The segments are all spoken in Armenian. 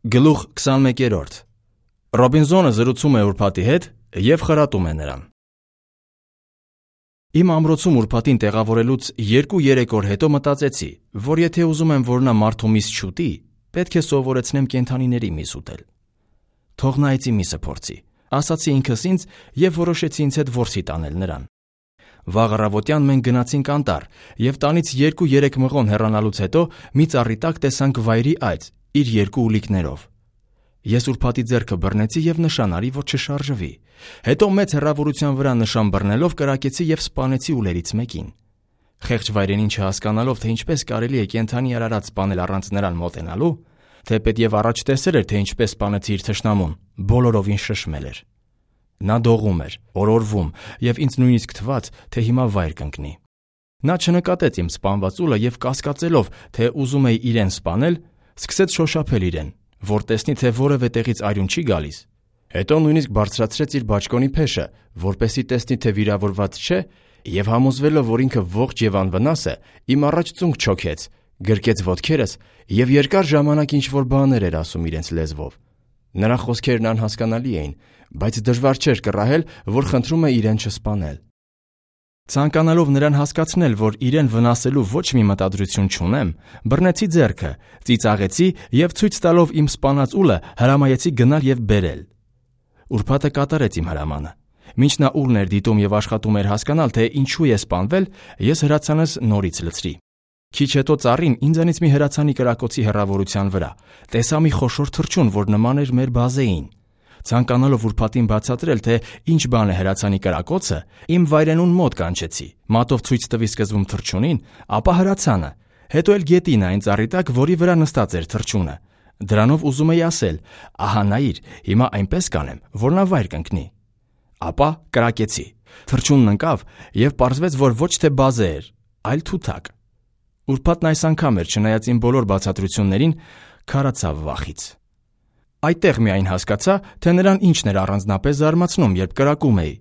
Գլուխ 21. Ռոբինզոնը զրուցում է ուրբաթի հետ և խրատում է նրան։ Իմ ամրոցում ուրբաթին տեղավորելուց 2-3 օր հետո մտածեցի, որ եթե ուզում եմ, որ նա մարդու միս չուտի, պետք է սովորեցնեմ կենդանիների միս ուտել։ Թող նա այծի միսը փորձի, ասացի ինքս ինձ և որոշեցի ինձ հետ որսի տանել նրան։ Վաղ առավոտյան մենք գնացինք անտառ և տանից 2-3 մղոն հեռանալուց հետո մի ծառի տակ տեսանք վայրի այծ իր 2 ուլիկներով։ Ես ուրբաթի ձեռքը բռնեցի և նշան արի, որ չշարժվի։ Հետո մեծ հեռավորության վրա նշան բռնելով կրակեցի և սպանեցի ուլերից մեկին։ Խեղճ վայրենին չհասկանալով, թե ինչպես կարելի է կենդանի արարած սպանել առանց նրան մոտենալու, թեպետև առաջ տեսել էր, թե ինչպես սպանեցի իր թշնամուն, բոլորովին շշմել էր։ Նա դողում էր, օրորվում, և ինձ նույնիսկ թվաց, թե հիմա վայր կընկնի։ Նա չնկատեց իմ սպանված ուլը և կասկածելով, թե ուզում էի իրեն սպանել, սկսեց շոշափել իրեն, որ տեսնի, թե որևէ տեղից արյուն չի գալիս։ Հետո նույնիսկ բարձրացրեց իր բաճկոնի փեշը, որպեսզի տեսնի, թե վիրավորված չէ, և համոզվելով, որ ինքը ողջ և անվնաս է, իմ առաջ ծունկ չոքեց, գրկեց ոտքերս և երկար ժամանակ ինչ-որ բաներ էր ասում իրենց լեզվով։ Նրա խոսքերն անհասկանալի էին, բայց դժվար չէր կռահել, որ խնդրում է իրեն չսպանել։ Ցանկանալով նրան հասկացնել, որ իրեն վնասելու ոչ մի մտադրություն չունեմ, բռնեցի ձեռքը, ծիծաղեցի և ցույց տալով իմ սպանած ուլը հրամայեցի գնալ և բերել։ Ուրբաթը կատարեց իմ հրամանը։ Մինչ նա ուլն էր դիտում և աշխատում էր հասկանալ, թե ինչու է սպանվել, ես հրացանս նորից լցրի։ Քիչ հետո ծառին ինձանից մի հրացանի կրակոցի հեռավորության վրա տեսա մի խոշոր թռչուն, որ նման էր մեր բազեին։ Ցանկանալով ուրբաթին բացատրել, թե ինչ բան է հրացանի կրակոցը, իմ վայրենուն մոտ կանչեցի, մատով ցույց տվի սկզբում թռչունին, ապա հրացանը, հետո էլ գետին այն ծառի տակ, որի վրա նստած էր թռչունը։ Դրանով ուզում էի ասել. ահա նայիր, հիմա այնպես կանեմ, որ նա վայր կընկնի։ Ապա կրակեցի։ Թռչունն ընկավ և պարզվեց, որ ոչ թե բազե էր, այլ թութակ։ Ուրբաթն այս անգամ էր, չնայած իմ բոլոր բացատրություններին, քարացավ վախից։ Այդտեղ միայն հասկացա, թե նրան ինչն էր առանձնապես զարմացնում, երբ կրակում էի։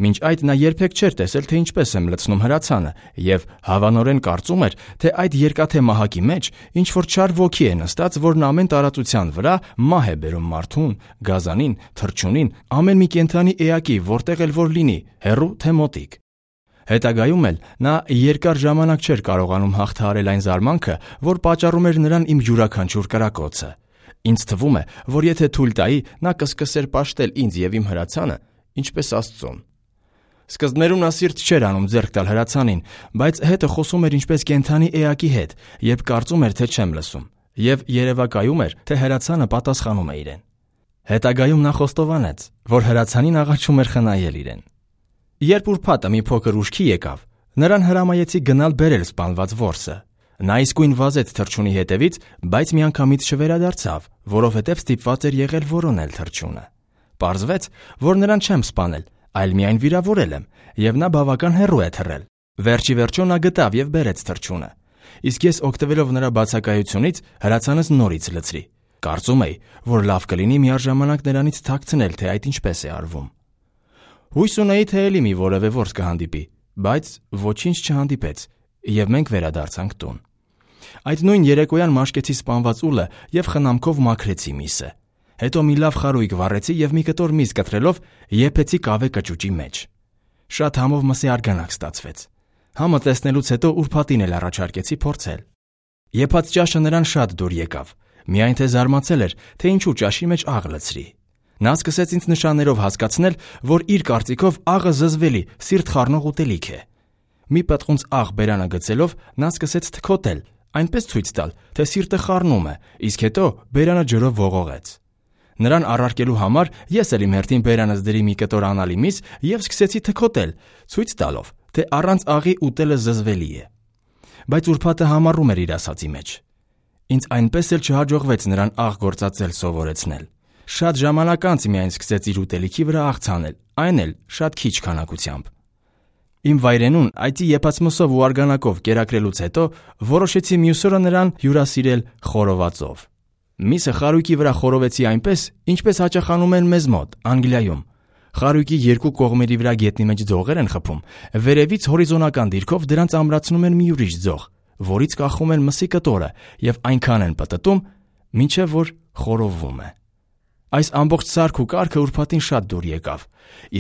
Մինչ այդ նա երբեք չէր տեսել, թե ինչպես եմ լցնում հրացանը, և հավանորեն կարծում էր, թե այդ երկաթե մահակի մեջ ինչ-որ չար ոգի է նստած, որն ամեն տարածության վրա մահ է բերում մարդուն, գազանին, թռչունին, ամեն մի կենդանի էակի, որտեղ էլ որ լինի, հեռու թե մոտիկ։ Հետագայում էլ նա երկար ժամանակ չէր կարողանում հաղթահարել այն զարմանքը, որ պատճառում էր նրան իմ յուրաքանչյուր կրակոցը։ Ինձ թվում է, որ եթե թույլ տայի, նա կսկսեր պաշտել ինձ և իմ հրացանը, ինչպես Աստծուն։ Սկզբներում նա սիրտ չէր անում ձեռք տալ հրացանին, բայց հետը խոսում էր ինչպես կենդանի էակի հետ, երբ կարծում էր, թե չեմ լսում, և երևակայում էր, թե հրացանը պատասխանում է իրեն։ Հետագայում նա խոստովանեց, որ հրացանին աղաչում էր խնայել իրեն։ Երբ ուրբաթը մի փոքր ուշքի եկավ, նրան հրամայեցի գնալ բերել սպանված որսը։ Նա իսկույն վազեց թռչունի հետևից, բայց միանգամից չվերադարձավ, որովհետև ստիպված էր եղել որոնել թռչունը։ Պարզվեց, որ նրան չեմ սպանել, այլ միայն վիրավորել եմ, և նա բավական հեռու է թռել։ Վերջի վերջո նա գտավ և բերեց թռչունը։ Իսկ ես օգտվելով նրա բացակայությունից հրացանս նորից լցրի։ Կարծում էի, որ լավ կլինի միաժամանակ նրանից թաքցնել, թե այդ ինչպես է արվում։ Հույս ունեի, թե էլի մի որևէ որս կհանդիպի, բայց ոչինչ չհանդիպեց, և մենք վերադարձանք տուն։ Այդ նույն երեկոյան մաշկեցի սպանված ուլը և խնամքով մաքրեցի միսը։ Հետո մի լավ խարույկ վառեցի և մի կտոր միս կտրելով եփեցի կավե կճուճի մեջ։ Շատ համով մսի արգանակ ստացվեց։ Համը տեսնելուց հետո ուրբաթին էլ առաջարկեցի փորձել։ Եփած ճաշը նրան շատ դուր եկավ, միայն թե զարմացել էր, թե ինչու ճաշի մեջ աղ լցրի։ Նա սկսեց ինձ նշաններով հասկացնել, որ իր կարծիքով աղը զզվելի, սիրտ խառնող ուտելիք է։ Մի պտղունց աղ բերանը գցելով նա սկսեց թքոթել, այնպես ցույց տալ, թե սիրտը խառնում է, իսկ հետո բերանը ջրով ողողեց։ Նրան առարկելու համար ես էլ իմ հերթին բերանս դրի մի կտոր անալի միս և սկսեցի թքոթել, ցույց տալով, թե առանց աղի ուտելը զզվելի է։ Բայց ուրբաթը համառում էր իր ասածի մեջ։ Ինձ այնպես էլ չհաջողվեց նրան աղ գործածել սովորեցնել։ Շատ ժամանակ անց միայն սկսեց իր ուտելիքի վրա աղ ցանել, այն էլ շատ քիչ քանակությամբ։ Իմ վայրենուն այծի եփած մսով ու արգանակով կերակրելուց հետո որոշեցի մյուս օրը նրան հյուրասիրել խորովածով։ Միսը խարույկի վրա խորովեցի այնպես, ինչպես հաճախանում են մեզ մոտ, Անգլիայում։ Խարույկի երկու կողմերի վրա գետնի մեջ ձողեր են խփում, վերևից հորիզոնական դիրքով դրանց ամրացնում են մի ուրիշ ձող, որից կախում են մսի կտորը և այնքան են պտտում, մինչև որ խորովում է։ Այս ամբողջ սարք ու կարգը ուրբաթին շատ դուր եկավ,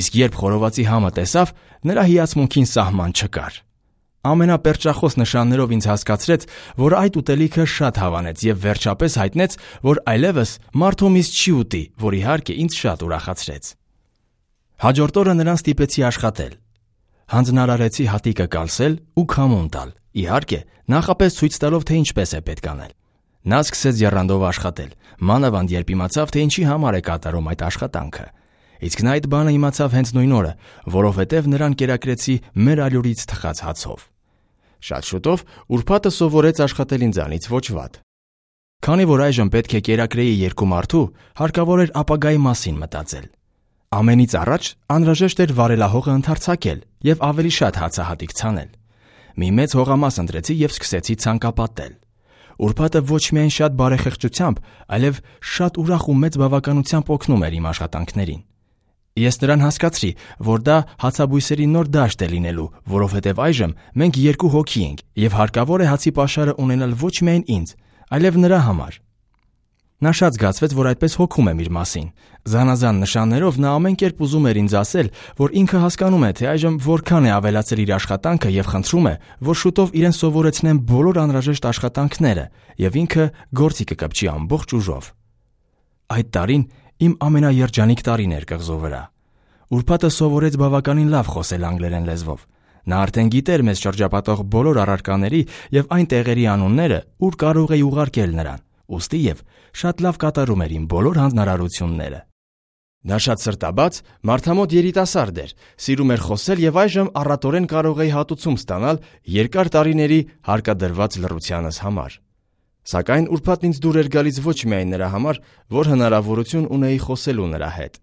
իսկ երբ խորովածի համը տեսավ, նրա հիացմունքին սահման չկար։ Ամենապերճախոս նշաններով ինձ հասկացրեց, որ այդ ուտելիքը շատ հավանեց եւ վերջապես հայտնեց, որ այլևս մարդու միս չի ուտի, որ իհարկե ինձ շատ ուրախացրեց։ Հաջորդ օրը նրան ստիպեցի աշխատել։ Հանձնարարեցի հատիկը կալսել ու քամուն տալ, իհարկե, նախապես ցույց տալով, թե ինչպես է պետք անել։ Նա սկսեց եռանդով աշխատել, մանավանդ երբ իմացավ, թե ինչի համար է կատարում այդ աշխատանքը։ Իսկ նա այդ բանը իմացավ հենց նույն օրը, որովհետև նրան կերակրեցի մեր ալյուրից թխած հացով։ Շատ շուտով ուրբաթը սովորեց աշխատել ինձանից ոչ վատ։ Քանի որ այժմ պետք է կերակրեի երկու մարդու, հարկավոր էր ապագայի մասին մտածել։ Ամենից առաջ անհրաժեշտ էր վարելահողը ընդարձակել եւ ավելի շատ հացահատիկ ցանել։ Մի մեծ հողամաս ընտրեցի եւ սկսեցի ցանկապատել։ Ուրբաթը ոչ միայն շատ բարեխեղճությամբ, այլև շատ ուրախ ու մեծ բավականությամբ օգնում էր իմ աշխատանքներին։ Ես նրան հասկացրի, որ դա հացաբույսերի նոր դաշտ է լինելու, որովհետև այժմ մենք երկու հոգի ենք եւ հարկավոր է հացի պաշարը ունենալ ոչ միայն ինձ, այլև նրա համար։ Նա շատ զգացվեց, որ այդպես հոգում եմ իր մասին։ Զանազան նշաններով նա ամեն կերպ ուզում էր ինձ ասել, որ ինքը հասկանում է, թե այժմ որքան է ավելացել իր աշխատանքը եւ խնդրում է, որ շուտով իրեն սովորեցնեն բոլոր անհրաժեշտ աշխատանքները եւ ինքը գործի կկպչի ամբողջ ուժով։ Այդ տարին իմ ամենաերջանիկ տարին էր կղզու վրա։ Ուրբաթը սովորեց բավականին լավ խոսել անգլերեն լեզվով։ Նա արդեն գիտեր մեզ շրջապատող բոլոր առարկաների եւ այն տեղերի անունները, ուր կարող էի ուղարկել նրան, ուստի եւ շատ լավ կատարում էր իմ բոլոր հանձնարարությունները։ Նա շատ սրտաբաց, մարդամոտ երիտասարդ էր, սիրում էր խոսել եւ այժմ առատորեն կարող էի հատուցում ստանալ երկար տարիների հարկադրված լռությանս համար։ Սակայն ուրբաթն ինձ դուր էր գալիս ոչ միայն նրա համար, որ հնարավորություն ունեի խոսելու նրա հետ։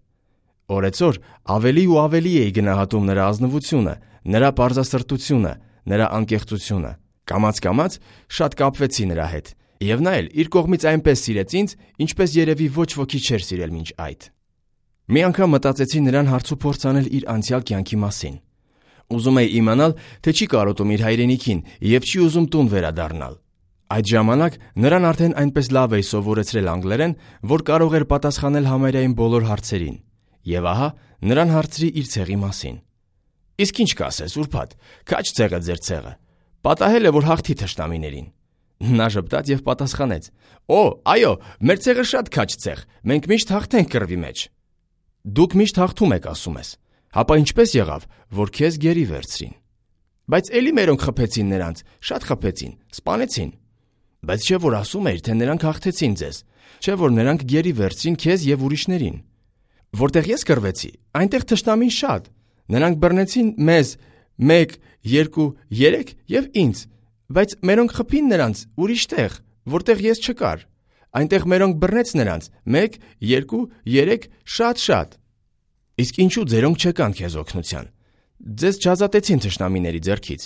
Օրեցօր ավելի ու ավելի էի գնահատում նրա ազնվությունը, նրա պարզասրտությունը, նրա անկեղծությունը։ Կամաց-կամաց շատ կապվեցի նրա հետ, եւ նա էլ իր կողմից այնպես սիրեց ինձ, ինչպես երևի ոչ ոքի չէր սիրել մինչ այդ։ Մի անգամ մտածեցի նրան հարց ու փորձ անել իր անցյալ կյանքի մասին։ Ուզում էի իմանալ, թե չի կարոտում իր հայրենիքին եւ չի ուզում տուն վերադառնալ։ Այդ ժամանակ նրան արդեն այնպես լավ էի սովորեցրել անգլերեն, որ կարող էր պատասխանել համարյա բոլոր հարցերին։ Եվ ահա նրան հարցրի իր ցեղի մասին։ Իսկ ինչ կասես, ուրբաթ, քաջ ցեղը ձեր ցեղը։ Պատահել է, որ հաղթի թշնամիներին։ Նա ժպտաց եւ պատասխանեց. «Օ, այո, մեր ցեղը շատ քաջ ցեղ, մենք միշտ հաղթենք կռվի մեջ»։ Դուք միշտ հաղթում եք, ասում ես։ Հապա ինչպես եղավ, որ քեզ գերի վերցրին։ Բայց էլի մերոնք խփեցին նրանց, շատ խփեցին, սպանեցին։ Բայց չէ որ ասում էիր, թե նրանք հաղթեցին ձեզ, չէ որ նրանք գերի վերցրին քեզ եւ ուրիշներին։ Որտեղ ես կռվեցի, այնտեղ թշնամին շատ։ Նրանք բռնեցին մեզ 1, 2, 3 եւ ինձ, բայց մերոնք խփին նրանց ուրիշ տեղ, որտեղ ես չկար։ Այնտեղ մերոնք բռնեց նրանց 1, 2, 3 շատ։ Իսկ ինչու ձերոնք չեկան քեզ օգնության։ Ձեզ չազատեցին թշնամիների ձեռքից։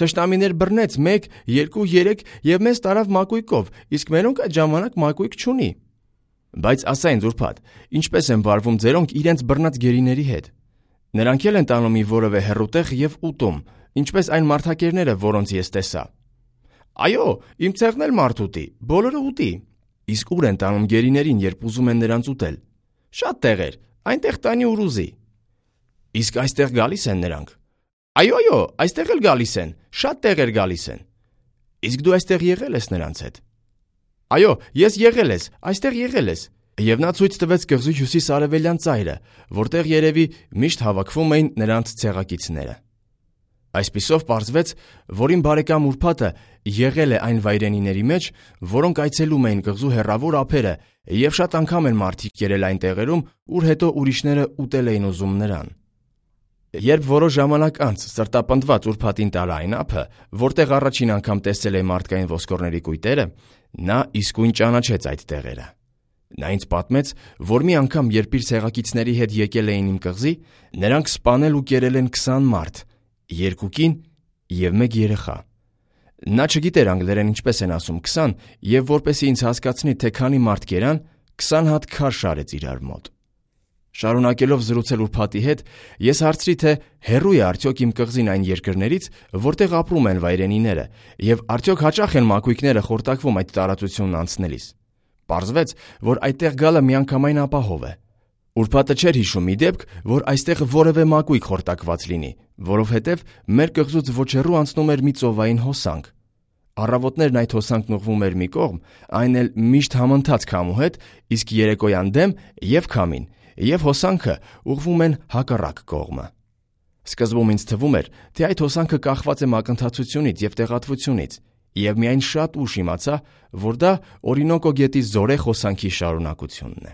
Թշնամիներ բռնեց 1, 2, 3 եւ մեզ տարավ մակույկով, իսկ մերոնք այդ ժամանակ մակույկ չունի։ Բայց ասա ինձ ուրբաթ, ինչպես են վարվում ձերոնք իրենց բռնած գերիների հետ։ Նրանք էլ են տանում մի որևէ հեռուտեղ եւ ուտում, ինչպես այն մարդակերները, որոնց ես տեսա։ Այո, իմ ցեղն էլ մարդ ուտի, բոլորը ուտի։ Իսկ ուր են տանում գերիներին, երբ ուզում են նրանց ուտել։ Շատ տեղեր, այնտեղ տանի ուր ուզի։ Իսկ այստեղ գալիս են նրանք։ Այո, այստեղ էլ գալիս են, շատ տեղեր գալիս են։ Իսկ դու այստեղ եղել ես նրանց հետ։ Այո, ես եղել ես, այստեղ եղել ես։ Եվ նա ցույց տվեց կղզու հյուսիս-արևելյան ծայրը, որտեղ երևի միշտ հավաքվում էին նրանց ցեղակիցները։ Այսպիսով պարզվեց, որ իմ բարեկամ ուրբաթը եղել է այն վայրենիների մեջ, որոնք այցելում էին կղզու հեռավոր ափերը, եւ շատ անգամ են մարդիկ եղել այն տեղերում, ուր հետո ուրիշները ուտել էին ուզում նրան։ Երբ որոշ ժամանակ անց սրտապնդված ուրբաթին տալա այն ափը, որտեղ առաջին անգամ տեսել է մարդկային ոսկորների կույտերը, նա իսկույն ճանաչեց այդ տեղերը։ Նա ինձ պատմեց, որ մի անգամ, երբ իր ցեղակիցների հետ եկել էին իմ կղզի, նրանք սպանել ու կերել են 20 մարդ, 2 կին եւ 1 երեխա։ Նա չգիտեր անգլերեն ինչպես են ասում 20, եւ որպեսզի ինձ հասկացնի, թե քանի մարդ կերան, 20 հատ քար շարեց իրար մոտ։ Շարունակելով զրուցել ուրբաթի հետ, ես հարցրի, թե հեռու է արդյոք իմ կղզին այն երկրներից, որտեղ ապրում են վայրենիները, եւ արդյոք հաճախ են մակույկները խորտակվում այդ տարածությունն անցնելիս։ Պարզվեց, որ այդտեղ գալը միանգամայն ապահով է։ Ուրբաթը չէր հիշում մի դեպք, որ այստեղ որևէ մակույկ խորտակված լինի, որովհետև մեր կղզուց ոչ հեռու անցնում էր մի ծովային հոսանք։ Առավոտներն այդ հոսանքն ուղղվում էր մի կողմ, այն էլ միշտ համընթաց քամու հետ, իսկ երեկոյան դեմ եւ քամին, եւ հոսանքը ուղղվում են հակառակ կողմը։ Սկզբում ինձ թվում էր, թե այդ հոսանքը կախված է մակընթացությունից եւ տեղատվությունից, եւ միայն շատ ուշ իմացա, որ դա Օրինոկո գետի զորեղ հոսանքի շարունակությունն է։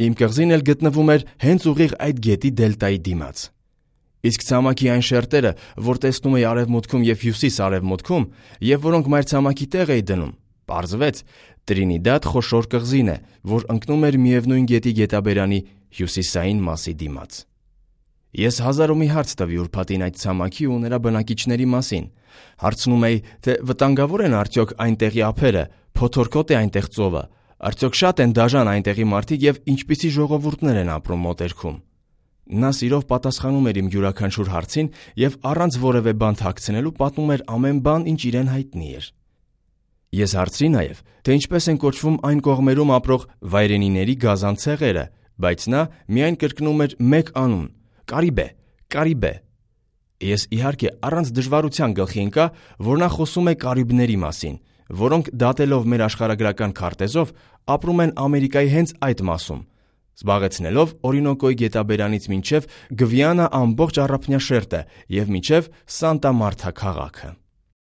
Իմ կղզին էլ գտնվում էր հենց ուղիղ այդ գետի դելտայի դիմաց։ Իսկ ցամաքի այն շերտերը, որ տեսնում էի արևմուտքում եւ հյուսիս-արևմուտքում, եւ որոնք մայրցամաքի տեղ էի դնում, պարզվեց Տրինիդադ խոշոր կղզին է, որ ընկնում էր միևնույն գետի գետաբերանի հյուսիսային մասի դիմաց։ Ես հազար ու մի հարց տվի ուրբաթին այդ ցամաքի ու նրա բնակիչների մասին։ Հարցնում էի, թե վտանգավոր են արդյոք այնտեղի ափերը, փոթորկոտ է այնտեղ ծովը, արդյոք շատ են դաժան այնտեղի մարդիկ եւ ինչպիսի ժողովուրդներ են ապրում մոտերքում։ Նա սիրով պատասխանում էր իմ յուրաքանչյուր հարցին եւ առանց որևէ բան թաքցնելու պատմում էր ամեն բան, ինչ իրեն հայտնի էր։ Ես հարցրի նաեւ, թե ինչպես են կոչվում այն կողմերում ապրող վայրենիների գազան ցեղերը, բայց նա միայն կրկնում էր մեկ անուն՝ Կարիբե։ Ես իհարկե առանց դժվարության գլխի ընկա, որ նա խոսում է կարիբների մասին, որոնք դատելով մեր աշխարհագրական քարտեզով ապրում են Ամերիկայի հենց այդ մասում, զբաղեցնելով Օրինոկոյի գետաբերանից մինչև Գվիանա ամբողջ առափնյա շերտը եւ մինչև Սանտա Մարթա քաղաքը։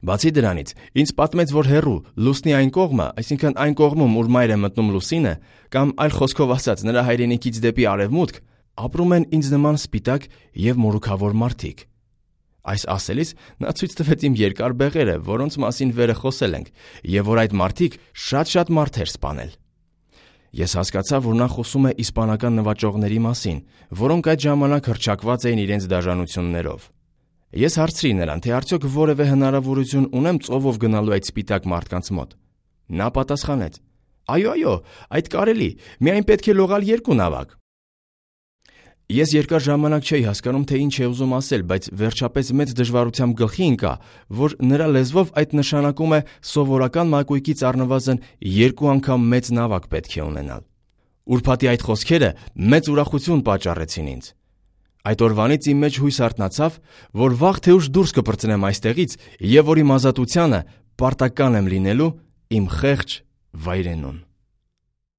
Բացի դրանից, ինձ պատմեց, որ հեռու լուսնի այն կողմը, այսինքն այն կողմում, ուր մայր է մտնում լուսինը, կամ այլ խոսքով ասած, նրա հայրենիքից դեպի արևմուտք, ապրում են ինձ նման սպիտակ եւ մորուքավոր մարդիկ։ Այս ասելիս նա ցույց տվեց իմ երկար բեղերը, որոնց մասին վերը խոսել ենք, եւ որ այդ մարդիկ շատ մարդեր սպանել։ Ես հասկացա, որ նա խոսում է իսպանական նվաճողների մասին, որոնք այդ ժամանակ հռչակված էին իրենց դաժանություններով։ Ես հարցրի նրան, թե արդյոք որևէ հնարավորություն ունեմ ծովով գնալու այդ սպիտակ մարդկանց մոտ։ Նա պատասխանեց. Այո, այդ կարելի, միայն պետք է լողալ 2 նավակ։ Ես երկար ժամանակ չէի հասկանում, թե ինչ է ուզում ասել, բայց վերջապես մեծ դժվարությամբ գլխի ընկա, որ նրա լեզվով այդ նշանակում է սովորական մակույկից առնվազն 2 անգամ մեծ նավակ պետք է ունենալ։ Ուրբաթի այդ խոսքերը մեծ ուրախություն պատճառեցին ինձ։ Այդ օրվանից իմ մեջ հույս արթնացավ, որ վաղ թե ուշ դուրս կպրծնեմ այստեղից եւ որ իմ ազատությանը պարտական եմ լինելու իմ խեղճ վայրենուն։